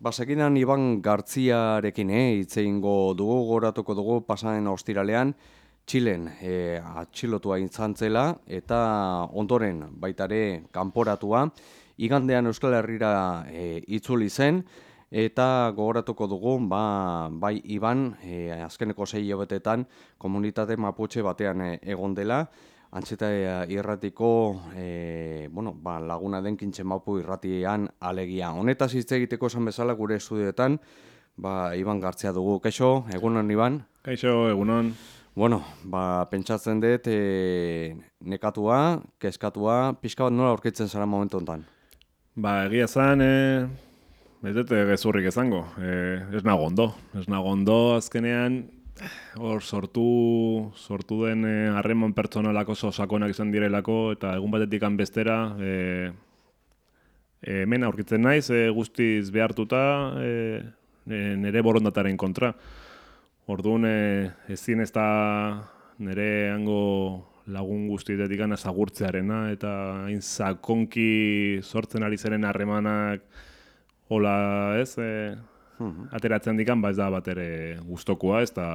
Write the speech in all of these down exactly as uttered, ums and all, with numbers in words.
Basekinan Iban Gartziarekin eh, hitz egingo dugu, goratuko dugu pasaren ostiralean, Txilen eh, atxilotua izan zela eta ondoren baitare kanporatua, igandean Euskal Herrira eh, itzuli zen, eta gogoratuko dugu, ba, bai Iban, eh, azkeneko sei hilabetetan komunitate Mapuche batean eh, egon dela, Antxeta irratiko e, bueno, ba, laguna den Kintxe Mapu irratian alegia. Honetaz hitz egiteko esan bezala gure estudioetan, ba, Iban Gartzia dugu. Kaixo, egunon Iban? Kaixo, egunon. Bueno, ba, pentsatzen dut e, nekatua, kezkatua, pixka bat nola aurkitzen zara momentu honetan? Ba, egia zan, e, ez dut gezurrik izango. E, ez nago ondo. Ez nago ondo azkenean, hor sortu sortu den harreman pertsonalako oso sakonak izan direlako eta egun batetik bestera e, e, hemen aurkitzen naiz e, guztiz behartuta e, e, nire borondataren kontra. Orduan e, ezin ez da nire hango lagun guztietetik azagurtzearena eta hain sakonki sortzen ari zeren harremanak hola ez, e, ateratzen dikan, ba ez da bat ere gustokoa, ez da...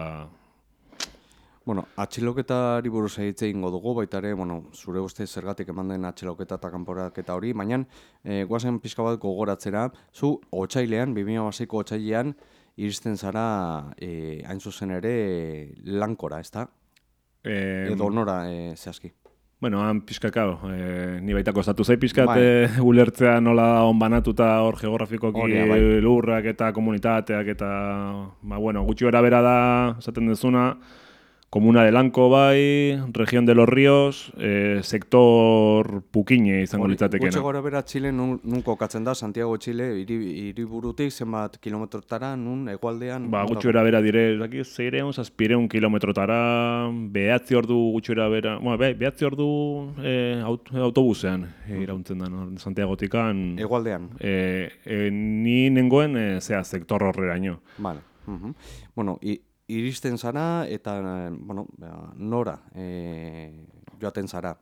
Bueno, atxiloketari buruz egitze egingo dugu, baita ere, bueno, zure uste zergatik eman den atxiloketa eta kanporaketa hori, baina e, guazen pixka bat gogoratzera, zu otsailean, bi mila hamaseiko otsailean, iristen zara e, hain zuzen ere lankora, ez da? E, Edo nora e, zehazki. Bueno, han pixkakao, e, ni baitako estatu zai pixkat Bai. e, ulertzea nola onbanatuta hor geografikoki Horia, bai. lurrak eta komunitateak eta, ba, bueno, gutxi gara bera da, esaten dezuna, Komuna de Lanko bai, Región de los Ríos, e, sektor pukine izango litzatekena. Gutxi gora bera Txile nun, nun kokatzen da, Santiago Txile, hiri, hiriburutik zenbat kilometrotara, nun egualdean? Ba, gutxi gara bera dire, zaki, zeireun, zazpireun kilometrotara, behatzi ordu gutxi gara bera, bueno, be, behatzi ordu e, aut, autobusean e, irauntzen da, no? Santiagotikan. Egualdean? E, e, ni nengoen, e, zea, sektor horreraino. Vale. Uh-huh. Bueno, i, iristen zara eta, bueno, nora e, joaten zara?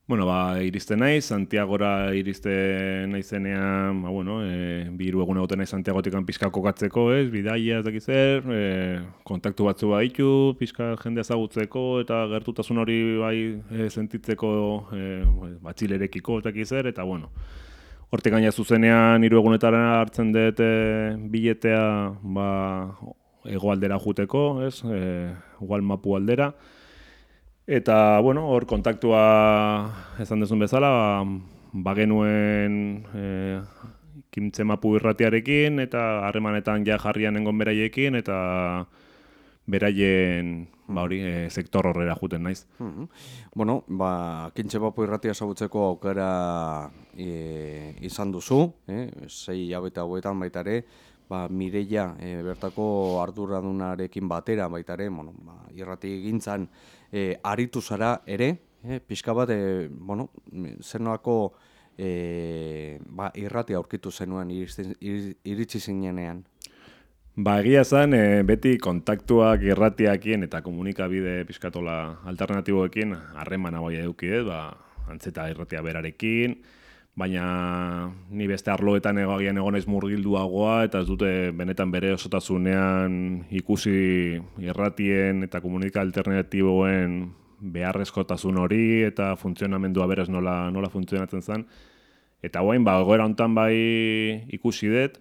Bueno, ba, iristen naiz, Santiagora iristen naizenean, ba, bueno, e, bi hiru egun egoten naiz Santiagotikan pixka kokatzeko, ez, bidaia ez dakiz zer, e, kontaktu batzu baditu, pixka jende ezagutzeko eta gertutasun hori bai e, sentitzeko e, batxilerekiko ez dakiz zer, eta bueno, hortik gaina zuzenean hiru egunetara hartzen dut e, biletea, ba, hegoaldera juteko, ez, e, Ugal Mapu aldera. Eta, bueno, hor kontaktua esan dezun bezala, bagenuen e, Kintxe Mapu irratiarekin eta harremanetan ja jarrian nengon beraiekin eta beraien ba hori e, sektor horrera juten naiz. Uh-huh. Bueno, ba, Kintxe Mapu irratia ezagutzeko aukera e, izan duzu, eh? sei hilabete hauetan baita ere, ba, Mireia e, bertako arduradunarekin batera baita ere, bueno, ba, irrati egintzan e, aritu zara ere, e, pixka bat, e, bueno, zenolako e, ba, irrati aurkitu zenuen iristen, ir, iritsi zinenean. Ba, egia zen, e, beti kontaktuak irratiakien eta komunikabide pixkatola alternatiboekin harremana bai eduki, ba, antzeta irratia berarekin, baina ni beste arloetan egoagian egonez murgilduagoa eta ez dute benetan bere osotasunean ikusi irratien eta komunika alternatiboen beharrezkotasun hori eta funtzionamendua berez nola, nola funtzionatzen zen. Eta guain, ba, egoera hontan bai ikusi dut,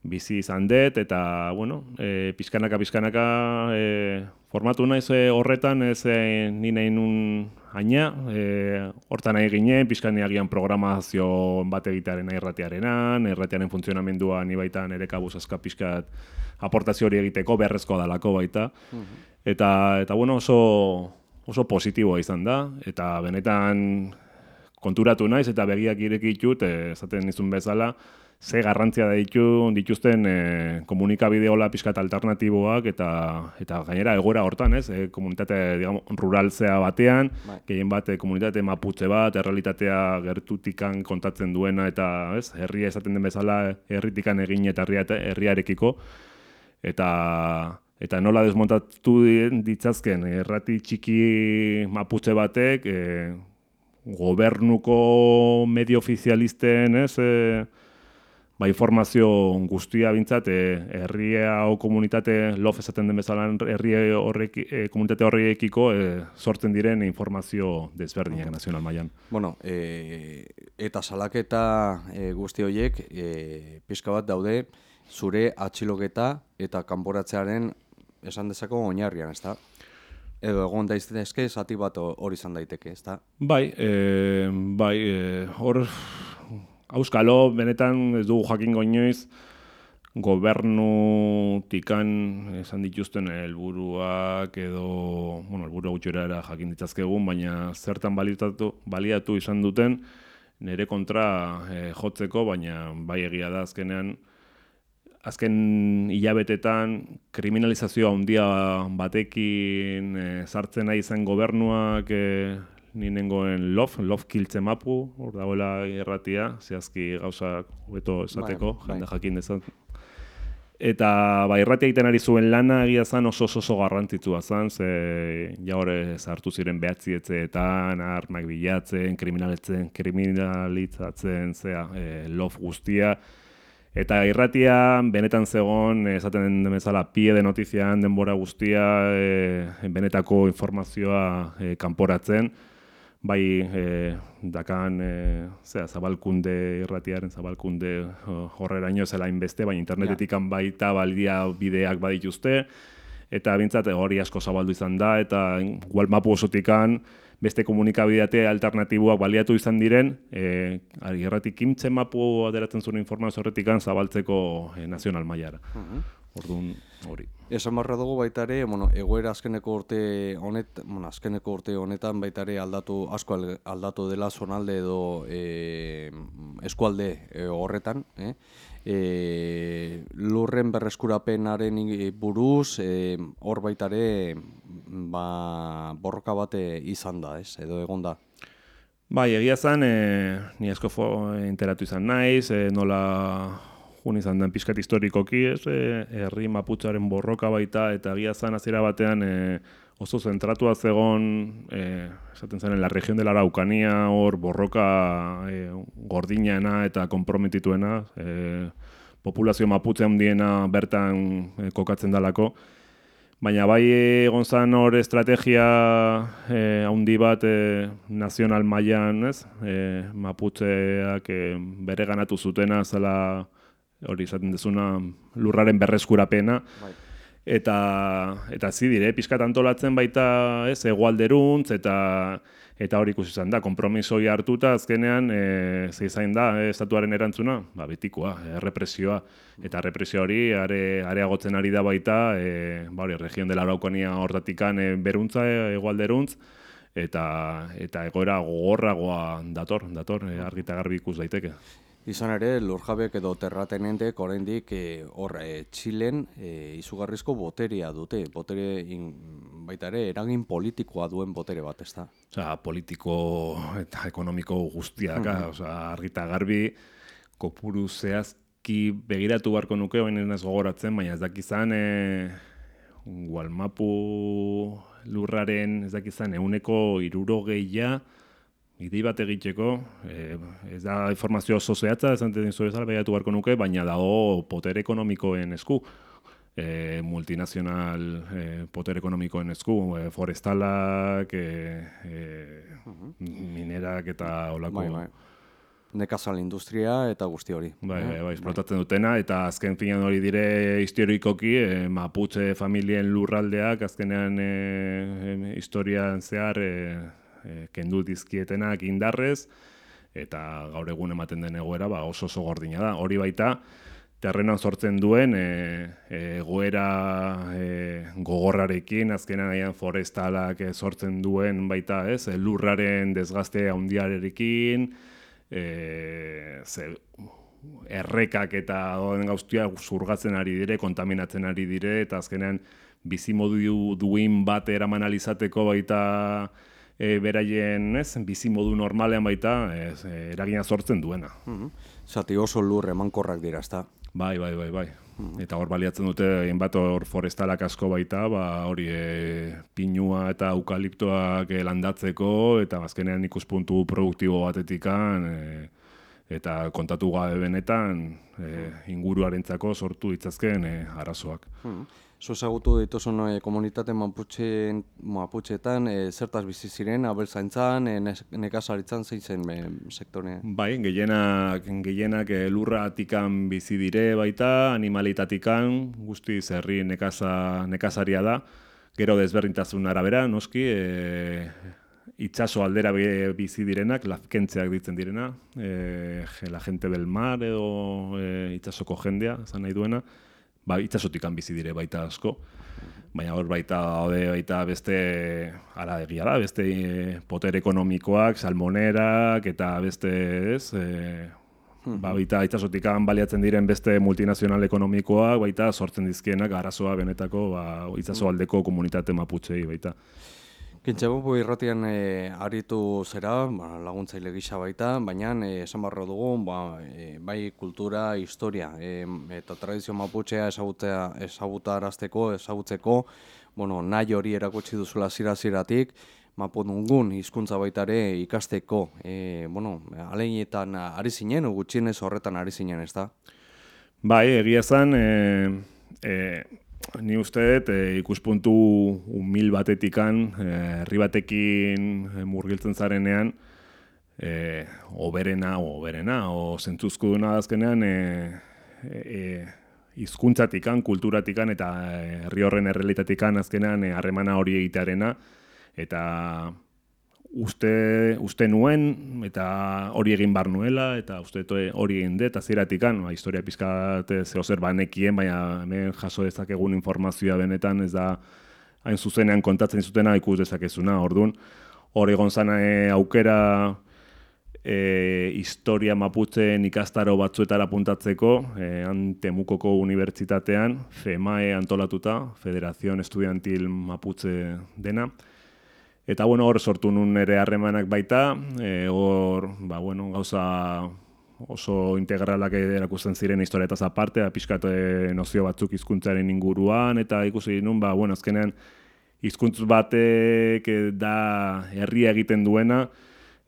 bizi izan dut, eta, bueno, e, pizkanaka-pizkanaka e, formatu naiz e, horretan, ez e, ni nahi nun aina, e, hortan nahi ginen, pizkaneagian programazio bat egitearen irratiarenan, irratiaren funtzionamendua ni baita nire kabuz azka pizkat aportazio hori egiteko beharrezkoa dalako baita. Uh-huh. Eta, eta bueno, oso, oso positiboa izan da, eta benetan konturatu naiz eta begiak irekitut, esaten nizun bezala, ze garrantzia ditu dituzten e, komunikabide hola pixkat alternatiboak eta eta gainera egoera hortan, ez? E, komunitate, digamos, ruraltzea batean, gehien bat komunitate maputze bat, errealitatea gertutikan kontatzen duena eta, ez? Herria esaten den bezala herritikan egin eta herriarekiko eta eta nola desmontatu ditzazken errati txiki maputze batek e, gobernuko medio ofizialisten, ez? E, ba, informazio guztia bintzat, e, herria o komunitate, lof esaten den bezala herri horrek, e, komunitate horrekiko e, sortzen diren informazio desberdinak nazional mailan. Bueno, e, eta salaketa e, guzti horiek e, pixka bat daude zure atxiloketa eta kanporatzearen esan dezako oinarrian, ezta? Edo egon daitezke zati bat hori izan daiteke, ezta? Bai, e, bai, e, hor auskalo benetan ez dugu jakingo inoiz gobernutikan esan dituzten helburuak edo, bueno, helburu gutxora jakin ditzazkegun, baina zertan baliatu, baliatu izan duten nire kontra e, jotzeko, baina bai egia da azkenean azken hilabetetan kriminalizazioa handia batekin e, sartzen nahi izan gobernuak e, ni nengoen lof, lof kiltze mapu, hor dagoela irratia, zehazki gauzak hobeto esateko, bai, jende bai. Jakin dezan. Eta ba, irratia egiten ari zuen lana egia zan oso oso garrantzitsua zan, ze ja hori sartu ziren behatzietzeetan, armak bilatzen, kriminalitzen, kriminalitzatzen, zea, e, lof guztia. Eta irratia benetan zegoen, esaten den bezala, pie de notizian denbora guztia, e, benetako informazioa e, kanporatzen, bai e, dakan e, zera, zabalkunde irratiaren zabalkunde horreraino zela inbeste, baina internetetik ja. Baita baldia bideak badituzte, eta bintzat hori asko zabaldu izan da, eta igual mapu osotikan beste komunikabidate alternatiboak baliatu izan diren, e, irratik kimtzen mapu aderatzen zuen informazio horretikan zabaltzeko e, nazional mailara. Uh-huh. Orduan hori. Esan barra dugu baita ere, bueno, egoera azkeneko urte honet, bueno, azkeneko urte honetan baita ere aldatu, asko aldatu dela zonalde edo e, eskualde e, horretan, eh? E, lurren berreskurapenaren buruz, e, hor baita ere ba, borroka bate izan da, ez? Edo egon da. Bai, egia zen, e, ni asko enteratu izan naiz, e, nola jun izan den pixkat historikoki, ez, e, herri maputzaren borroka baita, eta egia zen hasiera batean e, oso zentratua zegon, e, esaten zen, la región de la Araucanía, hor borroka e, gordinena eta konprometituena, e, populazio maputze handiena bertan e, kokatzen dalako. Baina bai egon zen hor estrategia eh, handi bat eh, nazional mailan, ez? Eh, maputzeak eh, bere ganatu zutena zela hori izaten dezuna lurraren berreskurapena. Bai. Eta eta zi dire, pixkat antolatzen baita, ez, hegoalderuntz eta eta hori ikusi izan da, konpromisoi hartuta azkenean eh ze izan da eh, estatuaren erantzuna, ba betikoa, eh, represioa eta represio hori are areagotzen ari da baita, eh ba hori región de la Araucanía hortatikan eh, beruntza eh, hegoalderuntz eta eta egoera gogorragoa dator, dator eh, argi eta garbi ikus daiteke. Izan ere, lurjabek edo terratenentek oraindik e, hor e, Txilen e, izugarrizko boterea dute, botere in, baita ere eragin politikoa duen botere bat, ezta? Osea, politiko eta ekonomiko guztiak, uh-huh. Osea, argi eta garbi kopuru zehazki begiratu beharko nuke, baina ez gogoratzen, baina ez dakizan e, Gualmapu lurraren ez dakizan ehuneko hirurogeia idei bat egiteko, eh, ez da informazio oso zehatza, esan dizu bezala begiratu beharko nuke, baina dago potere ekonomikoen esku, eh, multinazional eh, potere ekonomikoen esku, eh, forestalak, eh, eh, uh-huh. minerak eta olako... Bai, bai. Nekazal industria eta guzti hori. Bai, bai, bai, esplotatzen dutena, eta azken finean hori dire historikoki, eh, Maputxe familien lurraldeak, azkenean eh, historian zehar... Eh, E, kendu dizkietenak indarrez, eta gaur egun ematen den egoera ba, oso oso gordina da. Hori baita, terrenan sortzen duen e, egoera e, gogorrarekin, azkenan aian forestalak e, sortzen duen baita, ez, e, lurraren desgazte handiarekin, e, ze, errekak eta gauztia zurgatzen ari dire, kontaminatzen ari dire, eta azkenean bizimodu duin bat eraman alizateko baita E, beraien, ez, bizimodu normalean baita, ez, e, eragina sortzen duena. Mm-hmm. Zati oso lur emankorrak dira, ezta? Bai, bai, bai, bai. Mm-hmm. Eta hor baliatzen dute, hainbat hor forestalak asko baita, ba, hori e, pinua eta eukaliptoak e, landatzeko, eta azkenean ikuspuntu produktibo batetikan, e, eta kontatu gabe benetan e, inguruarentzako sortu ditzazkeen e, arazoak. Hmm. Zu ezagutu dituzun e, komunitate Mapuche, Mapucheetan e, zertaz bizi ziren, abeltzaintzan, e, nekazaritzan zein zen e, sektorea? Bai, gehienak, gehienak e, lurratikan bizi dire baita, animalitatikan, guztiz herri nekaza, nekazaria da, gero desberdintasun arabera, noski, e, itxaso aldera bizi direnak, lazkentzeak ditzen direna, e, la gente del mar edo e, itxasoko jendea, esan nahi duena, ba, itxasotikan bizi dire baita asko, baina hor baita, hode, baita beste, ara egia da, beste e, poter ekonomikoak, salmonerak, eta beste, ez, e, ba, baita itxasotikan baliatzen diren beste multinazional ekonomikoak, baita sortzen dizkienak arazoa benetako ba, itxaso aldeko komunitate maputxei baita. Kintxebupu irratian e, aritu zera, ba, laguntzaile gisa baita, baina e, esan barro dugu, ba, e, bai kultura, historia e, eta tradizio maputxea ezagutzea, ezagutarazteko, ezagutzeko, bueno, nahi hori erakutsi duzula zira-ziratik, mapudungun hizkuntza baita ere ikasteko, e, bueno, aleinetan ari zinen, gutxienez horretan ari zinen, ez da? Bai, egia zen, e, e, ni uste dut e, ikuspuntu humil batetikan, herri batekin e, murgiltzen zarenean, e, oberena, oberena, o zentzuzkuduna azkenean, e, e, hizkuntzatikan, kulturatikan eta herri horren errealitatikan azkenean harremana hori egitearena, eta uste, uste nuen, eta hori egin bar nuela, eta uste hori egin dut, aziratikan, ba, historia pizkat zehozer banekien, baina hemen jaso dezakegun informazioa benetan, ez da hain zuzenean kontatzen zutena ikus dezakezuna, orduan, hor egon zan e, aukera e, historia maputzen ikastaro batzuetara puntatzeko, e, han Temukoko unibertsitatean, FEMAE antolatuta, Federación Estudiantil Maputze dena, eta bueno, hor sortu nun ere harremanak baita, e, hor ba, bueno, gauza oso integralak erakusten ziren historietaz aparte, pixkat nozio batzuk hizkuntzaren inguruan, eta ikusi nun, ba, bueno, azkenean hizkuntz batek da herria egiten duena,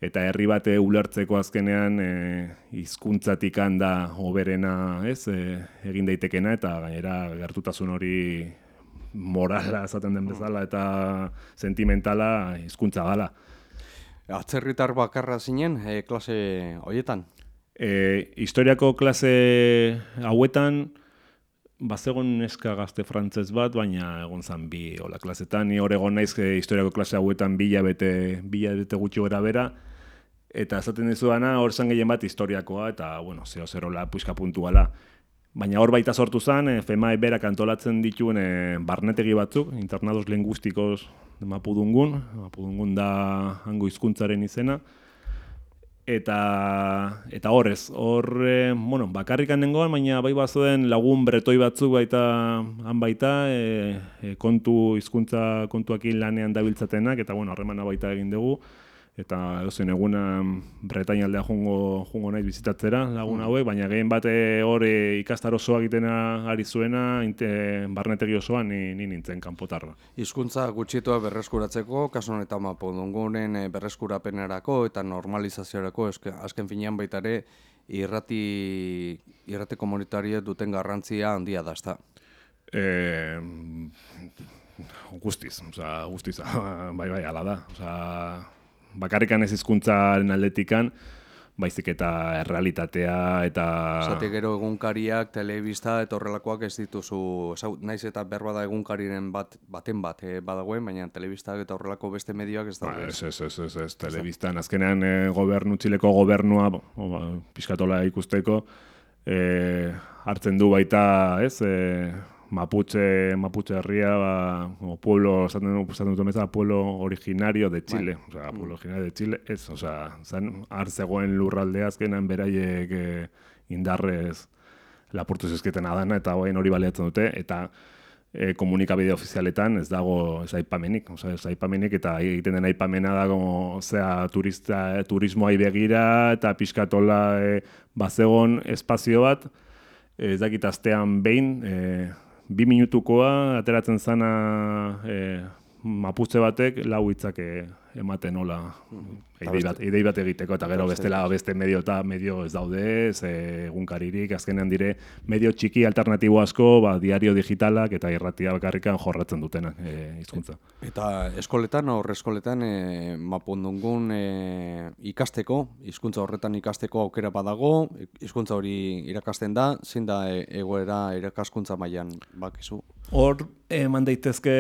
eta herri bate ulertzeko azkenean e, hizkuntzatik handa hoberena, ez, e, egin daitekena, eta gainera gertutasun hori morala esaten den bezala eta sentimentala hizkuntza gala. Atzerritar bakarra zinen e, klase horietan? E, historiako klase hauetan bazegon neska gazte frantzez bat, baina egon zan bi hola klasetan. Ni hor egon naiz e, historiako klase hauetan bila bete, bila bete gutxi gora bera, eta esaten dizuana hor zan gehien bat historiakoa, eta bueno, zeo zerola puiska puntuala. Baina hor baita sortu zen, e, FEMAE berak antolatzen dituen e, barnetegi batzuk, internados lingüistikos Mapudungun, Mapudungun da hango hizkuntzaren izena, eta eta horrez, hor, e, bueno, bakarrikan nengoan, baina bai bazuen lagun bretoi batzuk baita han baita, e, e, kontu hizkuntza kontuakin lanean dabiltzatenak, eta bueno, harremana baita egin dugu, eta edozen egunan Bretaña aldea jungo, jungo naiz bizitatzera lagun hauek, baina gehien bate hor ikastar osoa egitena ari zuena, inte, barnetegi osoan ni, ni nintzen kanpotarra. Hizkuntza gutxitua berreskuratzeko, kasu honetan Mapudungunen berreskurapenerako eta normalizaziorako, eske, azken finean baita ere irrati, irrati komunitariek duten garrantzia handia da, ezta? Eh, guztiz, oza, guztiz, bai bai, ala da, oza, bakarrikan ez hizkuntzaren aldetikan, baizik eta errealitatea eta... Zati gero egunkariak, telebista eta horrelakoak ez dituzu, naiz eta berba da egunkariren bat, baten bat eh, badagoen, baina telebistak eta horrelako beste medioak ez daude. Ba, ez, ez, ez, ez, ez, telebistan, azkenean e, gobernu, Txileko gobernua, bo, ba, pixkatola ikusteko, e, hartzen du baita, ez, e, Mapuche, Mapuche herria, ba, o pueblo, esaten dut bezala, pueblo originario de Chile, bai. Osea, pueblo originario de Chile, ez, osea, zan, hartzegoen lurraldea azkenan beraiek eh, indarrez lapurtu zizketen adana, eta hoen hori baliatzen dute, eta eh, komunikabide ofizialetan ez dago ez aipamenik, osea, ez aipamenik, eta egiten den aipamena dago, osea, turista, eh, turismoai begira, eta pixkatola eh, bazegon espazio bat, ez eh, dakit astean behin, eh, bi minutukoa ateratzen zana e, Mapuche batek lau hitzak ematen nola idei bat, idei bat egiteko, eta gero bestela beste medio eta medio ez daude, ze egunkaririk, azkenean dire medio txiki alternatibo asko, ba, diario digitalak eta irratia bakarrikan jorratzen dutenak e, hizkuntza. Eta eskoletan, aurre eskoletan, e, mapundungun e, ikasteko, hizkuntza horretan ikasteko aukera badago, hizkuntza hori irakasten da, zein da e, egoera irakaskuntza mailan bakizu? Hor, eman daitezke,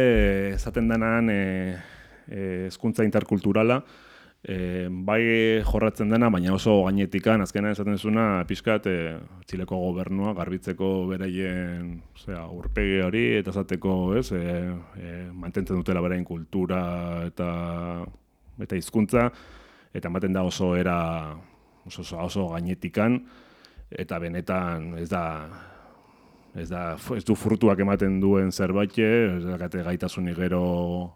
esaten denan, e, hezkuntza interkulturala, e, bai jorratzen dena, baina oso gainetikan, azkenan esaten zuna, pixkat, e, Txileko gobernua garbitzeko beraien osea, aurpegi hori, eta esateko, ez, e, e, mantentzen dutela beraien kultura eta eta hizkuntza, eta ematen da oso era oso, oso, oso gainetikan, eta benetan ez da Ez, da, ez du frutuak ematen duen zerbait, ez dakate gaitasunik gero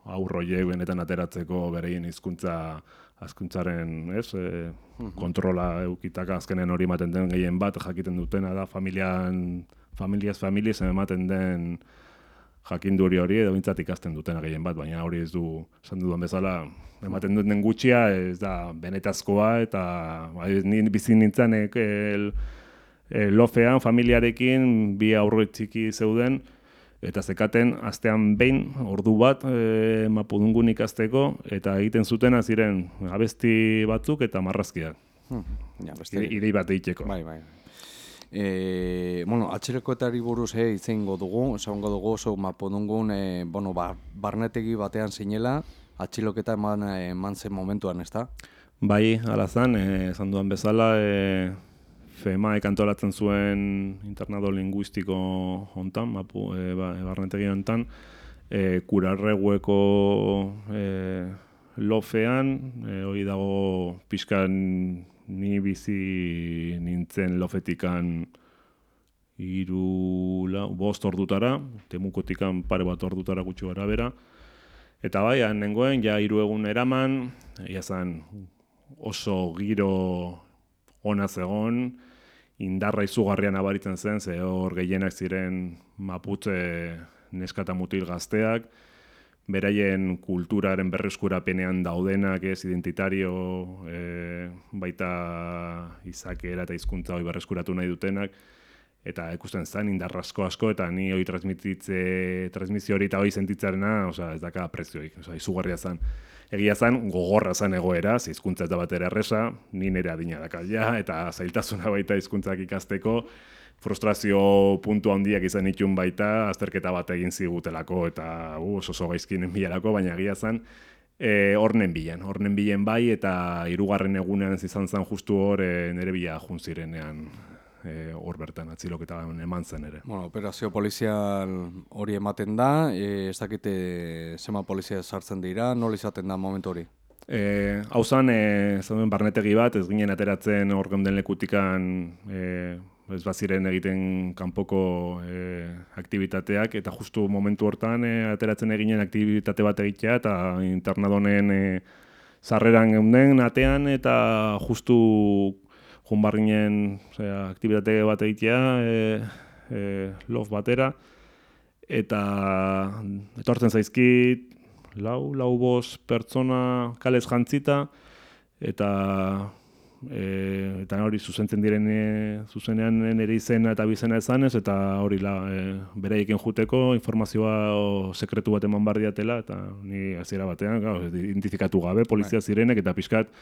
aurroiek benetan ateratzeko bereien hizkuntza hizkuntzaren, ez, e, kontrola eukitaka azkenen hori ematen den gehien bat jakiten dutena da familian, familiaz familiaz ematen den jakinduri hori edo bintzat ikasten dutena gehien bat, baina hori ez du, esan dudan bezala, ematen duten gutxia ez da benetazkoa eta ba, ni bizi nintzanek el, E, lofean, familiarekin, bi aurre txiki zeuden, eta zekaten astean behin, ordu bat, e, mapudungun ikasteko, eta egiten zutena ziren abesti batzuk eta marrazkiak. Hmm. Ja, beste... Idei bat egiteko. Bai, bai. E, bueno, atxerekoetari buruz eh, itzengo dugu, esango dugu oso mapudungun, e, bueno, ba, barnetegi batean zinela, atxiloketa eman, eman zen momentuan, ez da? Bai, alazan, esan dudan bezala, e, FEMAek antolatzen zuen internado linguistiko hontan, mapu, e, ba, barnetegi hontan, e, kurarregueko e, lofean, e, hori dago pixkan ni bizi nintzen lofetikan hiru lau, bost ordutara, temukotikan pare bat ordutara gutxi gara bera, eta bai, nengoen, ja hiru egun eraman, ia zan oso giro ona zegon, indarra izugarrian abaritzen zen, ze hor gehienak ziren maputze neska eta mutil gazteak, beraien kulturaren berreskurapenean daudenak, ez, identitario, e, baita izakera eta hizkuntza hori berreskuratu nahi dutenak, eta ikusten zen indarra asko asko, eta ni hori transmititze, transmisio hori eta hori sentitzarena, oza, ez daka prezioik, oza, izugarria zen. Egia zen, gogorra zen egoera, hizkuntza ez da batera erresa, ni nire adina dakaila, eta zailtasuna baita hizkuntzak ikasteko, frustrazio puntu handiak izan itun baita, azterketa bat egin zigutelako, eta uh, oso oso gaizkinen bilarako, baina egia zen, e, hornen bilen, hornen bilen bai, eta hirugarren egunean izan zen justu hor, e, nire bila jun zirenean, hor e, bertan atziloketa eman zen ere. Bueno, operazio polizial hori ematen da, e, ez dakite zema polizia sartzen dira, nola izaten da momentu hori? E, hau zan, e, zauden barnetegi bat, ez ginen ateratzen hor geunden lekutikan, e, ez baziren egiten kanpoko e, aktivitateak, eta justu momentu hortan e, ateratzen eginen aktivitate bat egitea, eta internadonen e, sarreran geunden atean, eta justu junbarginen aktibitate bat egitea, e, e, lof batera, eta etortzen zaizkit, lau, lau bost pertsona kalez jantzita, eta e, eta hori zuzentzen diren e, zuzenean nire izena eta bizena ezanez, eta hori la, e, beraiekin juteko informazioa o, sekretu bat eman bardiatela, eta ni hasiera batean, gau, identifikatu gabe, polizia zirenek, eta pixkat,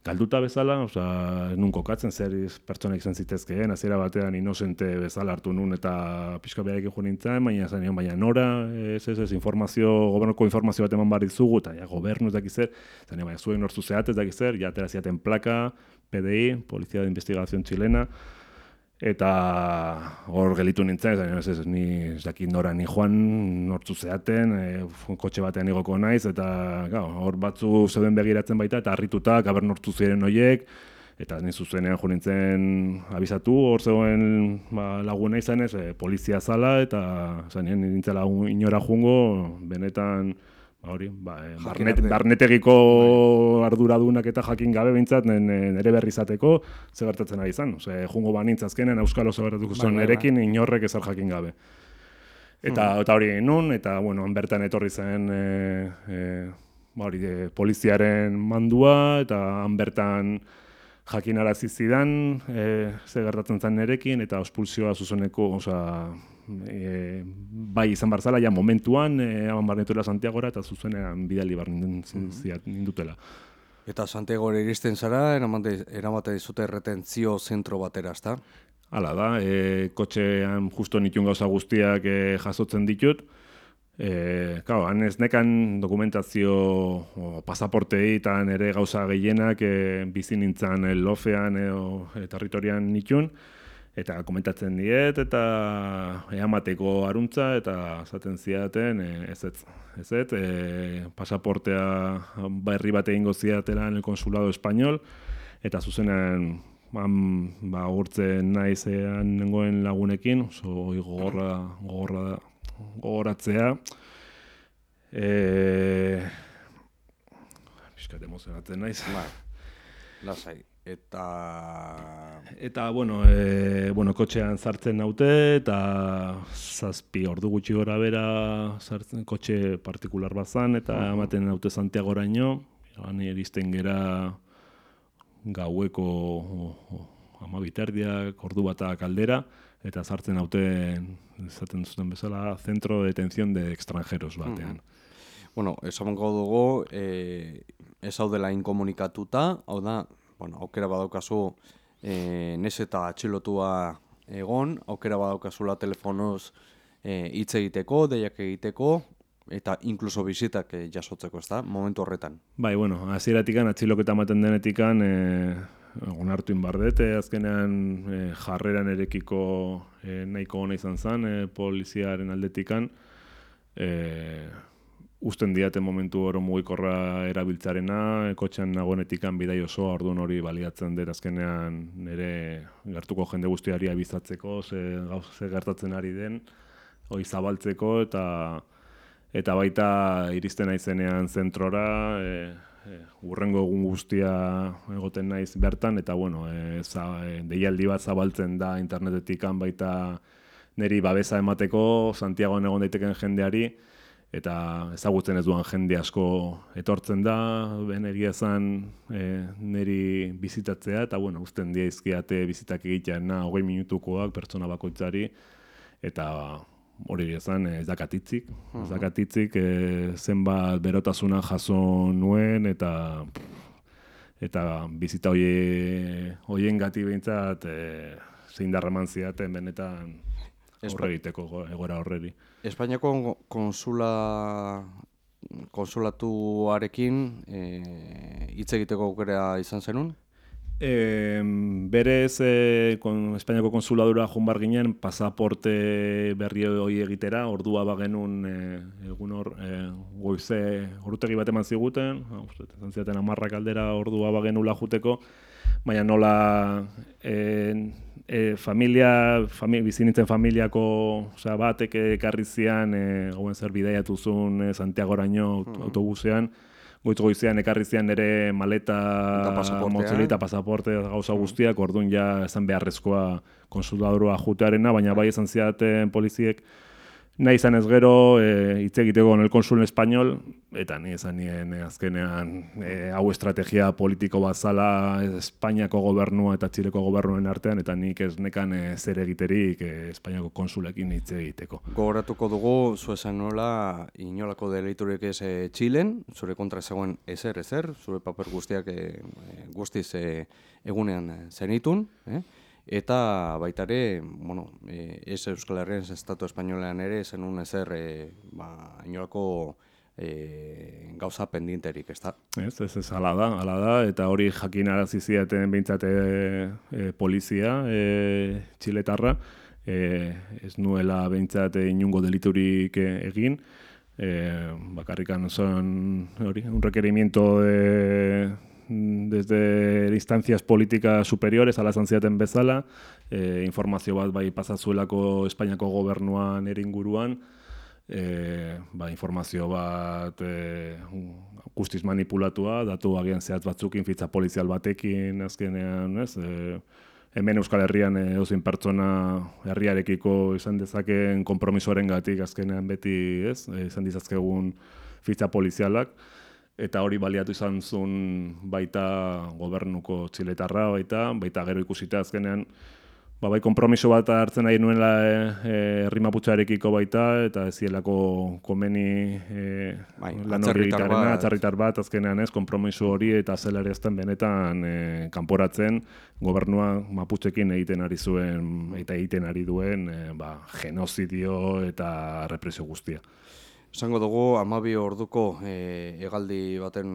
galduta bezala, osea, nun kokatzen zer pertsona izan zitezkeen, hasiera batean inozente bezala hartu nun eta pixka beharekin jo nintzen, baina zanean, baina nora, ez, ez, ez, informazio, gobernuko informazio bat eman bar dizugu, eta ja, gobernu ez dakiz zer, zanean, baina zuen nortzu zehat ez dakiz zer, ja atera ziaten plaka, P D I, Policía de Investigación Chilena, eta hor gelitu nintzen, zanean, ez, ez, ni ez dakit nora ni joan, nortzu zehaten, e, kotxe batean igoko naiz, eta gau, hor batzu zeuden begiratzen baita, eta harrituta, gaber nortzu ziren horiek, eta ni zuzenean jo nintzen abizatu, hor zegoen ba, laguna izanez, e, polizia zala, eta zanean nintzela inora jungo, benetan, ba, hori, ba, e, barnet, barnetegiko arduradunak eta jakin gabe bintzat nire berri izateko, ze gertatzen ari izan. Ose, jungo banintz azkenen, Euskal oso gertatuko zen nerekin, inorrek ezer jakin gabe. Eta, hmm. eta hori nun, eta bueno, bertan etorri zen e, e, ba, hori, e, poliziaren mandua, eta han bertan jakinarazi zidan, e, ze gertatzen zen nerekin, eta ospulsioa zuzeneko, osea, e, bai izan barzala, ja momentuan, e, aban barnetuela Santiagora, eta zuzenean bidali bar nindutela. Eta Santiagora iristen zara, eramate, eramate dizute retentzio zentro batera, ezta? Hala da, e, kotxean justo nituen gauza guztiak e, jasotzen ditut. E, claro, han ez nekan dokumentazio o, pasaportei eta nire gauza gehienak e, bizi nintzen lofean e, o, e, territorian nituen, eta komentatzen diet, eta eamateko aruntza, eta esaten zidaten, e, ez ez, ez ez, e, pasaportea berri bat egingo zidatela en el consulado español, eta zuzenean han, ba, gurtzen naizean nengoen lagunekin, oso gogorra, gogorra gogoratzea. E... Piskat emozionatzen naiz. Ba, lasai. Eta... Eta, bueno, e, bueno, kotxean sartzen naute, eta zazpi ordu gutxi gora bera sartzen, kotxe partikular bat zan, eta uh-huh. ematen naute Santiagoraino, han iristen gera gaueko amabiterdiak, ordu batak aldera, eta sartzen hauten, esaten zuten bezala, Centro de Detención de Extranjeros batean. Mm-hmm. Bueno, esango dugu, eh, ez hau dela inkomunikatuta, hau da, bueno, aukera badaukazu eh, nes eta atxilotua egon, aukera badaukazula telefonoz hitz eh, egiteko, deiak egiteko, eta inkluso bizitak eh, jasotzeko, ez da, momentu horretan. Bai, bueno, hasieratik atxiloketa ematen denetik eh, onartu inbardete, azkenean e, jarreran erekiko e, nahiko ona izan zen, e, poliziaren aldetikan, e, usten diate momentu oro mugikorra erabiltzarena, e, kotxean nagoenetikan bidai osoa, orduan hori baliatzen dut azkenean nire gertuko jende guztiari abizatzeko, ze, ze gertatzen ari den, hori zabaltzeko, eta eta baita iristen naizenean zentrora, e, E, urrengo egun guztia egoten naiz bertan, eta bueno, e, za, e, deialdi bat zabaltzen da internetetik baita niri babesa emateko, Santiagoan egon daiteken jendeari, eta ezagutzen ez duan jende asko etortzen da, ben egia zan e, niri bizitatzea, eta bueno, uzten diaizkiate bizitak egitean na, hogei minutukoak pertsona bakoitzari, eta hori ezan, ez dakatitzik, ez dakatitzik, e, zenbat berotasuna jaso nuen, eta eta bizita hoie, hoien gati behintzat e, zein darraman ziaten benetan aurre egiteko egora horreri. Espainiako konsula, konsulatuarekin hitz e, egiteko aukera izan zenun? E, berez, e, kon, Espainiako konsuladura joan bar ginen, pasaporte berri hori egitera, ordua bagenun e, egun hor, e, goize, orutegi bat eman ziguten, izan ziaten amarrak aldera ordua bagenula juteko, baina nola e, e, familia, familia, bizinitzen familiako osea, batek ekarri zian, e, gauen zer bidaiatu zuen e, Santiagoraino autobusean, goitz goizean ekarri zian nire maleta, motzili eta pasaporte gauza guztiak, orduan ja esan beharrezkoa konsuladorua jutearena, baina bai esan ziaten poliziek, nahi izan ez gero, hitz e, egiteko en el konsul español, eta ni esan nien azkenean e, hau estrategia politiko bat zala Espainiako gobernua eta Txileko gobernuen artean, eta nik ez nekan e, zer egiterik e, Espainiako konsulekin hitz egiteko. Gogoratuko dugu, zu esan nola, inolako deliturik ez e, Txilen, zure kontra zegoen ezer, ezer, zure paper guztiak e, guztiz e, egunean zenitun, eh? Eta baita ere, bueno, e, ez Euskal Herrian, ez Estatu Espainolean ere, zenun ezer e, ba, inolako e, gauza pendienterik, ez da? Ez, ez, ez, ala da, ala da, eta hori jakin arazi ziaten behintzat e, e, polizia e, txiletarra, e, ez nuela behintzat inungo deliturik egin, e, bakarrikan son, hori, un requerimiento de... desde instancias políticas superiores ala zantziaten bezala, e, informazio bat bai pasazuelako Espainiako gobernuan ere inguruan, e, ba, informazio bat e, guztiz manipulatua, datu agian zehatz batzukin, fitza polizial batekin azkenean, ez? E, hemen Euskal Herrian edozein pertsona herriarekiko izan dezakeen konpromisoaren gatik azkenean beti, ez? E, izan dizazkegun fitza polizialak, eta hori baliatu izan zuen baita gobernuko txiletarra, baita, baita gero ikusita azkenean, ba, bai, konpromiso bat hartzen nahi nuela herri maputxarekiko baita, eta ez zielako komeni e, bai, lan hori egitarena, atzarritar bat, azkenean ez, konpromiso hori eta zela ere ezten benetan e, kanporatzen, gobernua maputxekin egiten ari zuen, eta egiten ari duen, e, ba, genozidio eta represio guztia. Esango dugu, hamabi orduko e, hegaldi baten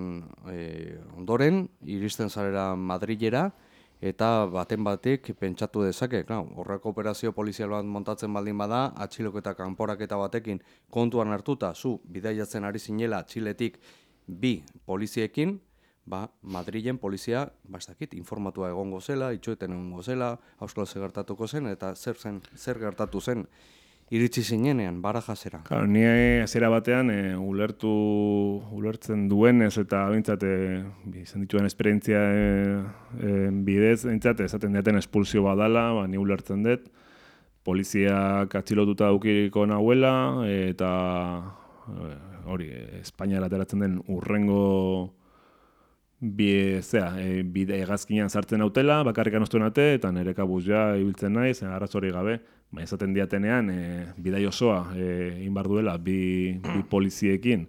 e, ondoren, iristen zarela Madrilera, eta baten batik pentsatu dezake, klar, horreko operazio polizial bat montatzen baldin bada, atxiloketa kanporaketa batekin kontuan hartuta, zu bidaiatzen ari zinela Txiletik bi poliziekin, ba, Madrilen polizia, ba, ez dakit, informatua egongo zela, itxoeten egongo zela, auskalo zer gertatuko zen, eta zer zen, zer gertatu zen iritsi zinenean, Barajasera. Claro, ni hasiera batean e, ulertu, ulertzen duenez eta bintzat e, izan dituen esperientzia e, e, bidez, bintzat, esaten diaten espulsio badala, ba, ni ulertzen dut, poliziak atxilotuta daukiko nahuela, eta e, hori, Espainiara ateratzen den urrengo bi, zera, e, bide hegazkinean sartzen nautela, bakarrik anostuen ate, eta nire kabuz ja ibiltzen naiz, arrazori gabe, ba, esaten diatenean, e, bidai osoa egin bar duela bi, bi poliziekin,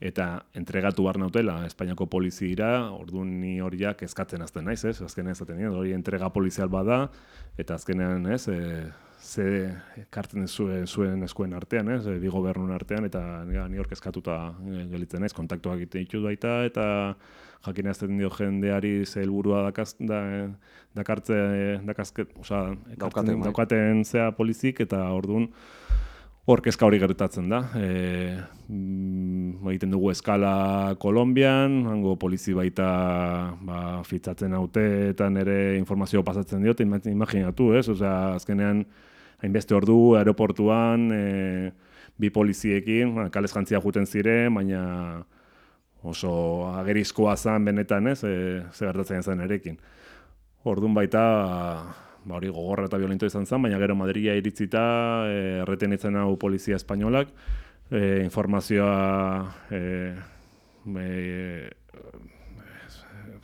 eta entregatu bar nautela Espainiako poliziera, orduan ni horiak eskatzen azten naiz, ez? Azkenean esaten dira, hori entrega polizial bada, eta azkenean, ez, e, ze kartzen zuen, zuen eskuen artean, ez, bi gobernun artean, eta ni hor eskatuta gelitzen naiz, kontaktuak egiten ditut baita, eta jakin azten dio jendeari ze helburua dakaz, da, dakartze, dakazket, oza, daukaten, daukaten zea polizik, eta orduan hor kezka hori gertatzen da. E, mm, egiten dugu eskala Kolonbian, hango polizi baita ba, fitzatzen haute, eta nire informazio pasatzen diot, imaginatu, ez? Osea, azkenean, hainbeste ordu, aeroportuan, e, bi poliziekin, ba, kalez jantzia juten ziren, baina oso agerizkoa zen benetan, ez, e, ze gertatzen zen erekin. Orduan baita, ba, hori gogorra eta violento izan zen, baina gero Madrila iritzita, e, erreten itzen hau polizia espainolak, e, informazioa, e, e,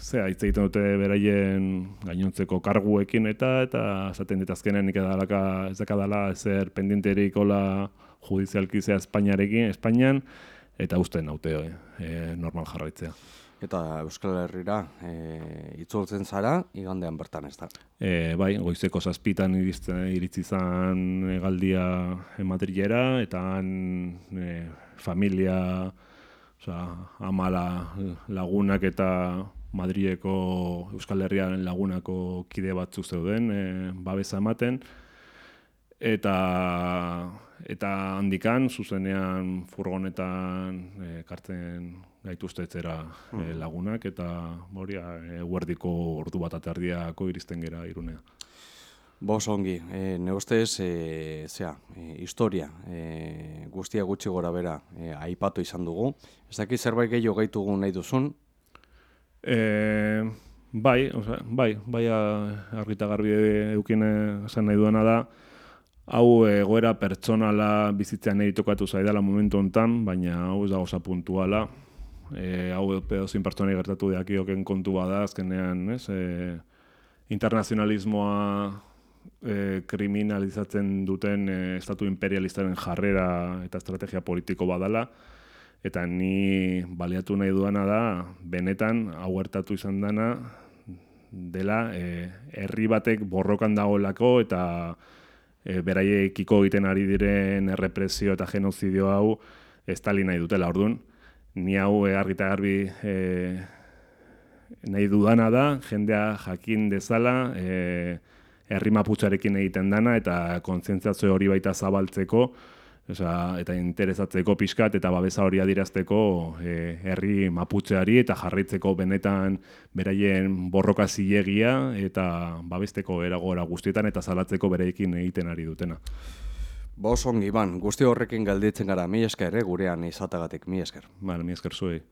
zea, hitz egiten dute beraien gainontzeko karguekin eta, eta esaten dit azkenean nik edalaka, ez dakadala ezer pendienterik hola judizialki zea Espainiarekin, Espainian, eta usten naute e, normal jarraitzea. Eta Euskal Herrira e, itzultzen zara, igandean bertan ez da? E, bai, goizeko zazpitan iritzi zan hegaldia Madrilera, eta han e, familia, oza, amala lagunak eta Madrileko Euskal Herriaren lagunako kide batzu zeuden, e, babesa ematen, eta eta handikan, zuzenean furgonetan ekartzen gaituztetzera e, lagunak, eta hori eguerdiko ordu bat aterdiako iristen gera Irunea. Bos ongi, e, ne ustez, e, zera, e, historia, e, guztia gutxi gora bera e, aipatu izan dugu. Ez dakit zerbait gehiago gaitugu nahi duzun? E, bai, oza, bai, bai argita garbi eukin esan nahi duena da, hau egoera pertsonala bizitzean nahi tokatu zaidala momentu hontan, baina hau ez da goza puntuala. E, hau pedozin pertsonai gertatu deakioken kontu bada, azkenean, ez? E, internazionalismoa e, kriminalizatzen duten e, estatu imperialistaren jarrera eta estrategia politiko badala, eta ni baliatu nahi duana da, benetan, hau gertatu izan dana, dela, e, herri batek borrokan dagoelako, eta E, beraiekiko egiten ari diren errepresio eta genozidio hau estali nahi dutela. Orduan, ni hau e, argi eta garbi e, nahi dudana da, jendea jakin dezala, e, herri maputxarekin egiten dana, eta kontzientziazio hori baita zabaltzeko, oza, eta interesatzeko pixkat, eta babesa hori adirazteko e, herri maputxeari, eta jarraitzeko benetan beraien borroka zilegia, eta babesteko eragora guztietan, eta salatzeko bereekin egiten ari dutena. Bos ongi, Iban, guzti horrekin galditzen gara, mi esker, eh, gurean izatagatik, mi esker. Bale, mi esker zuei.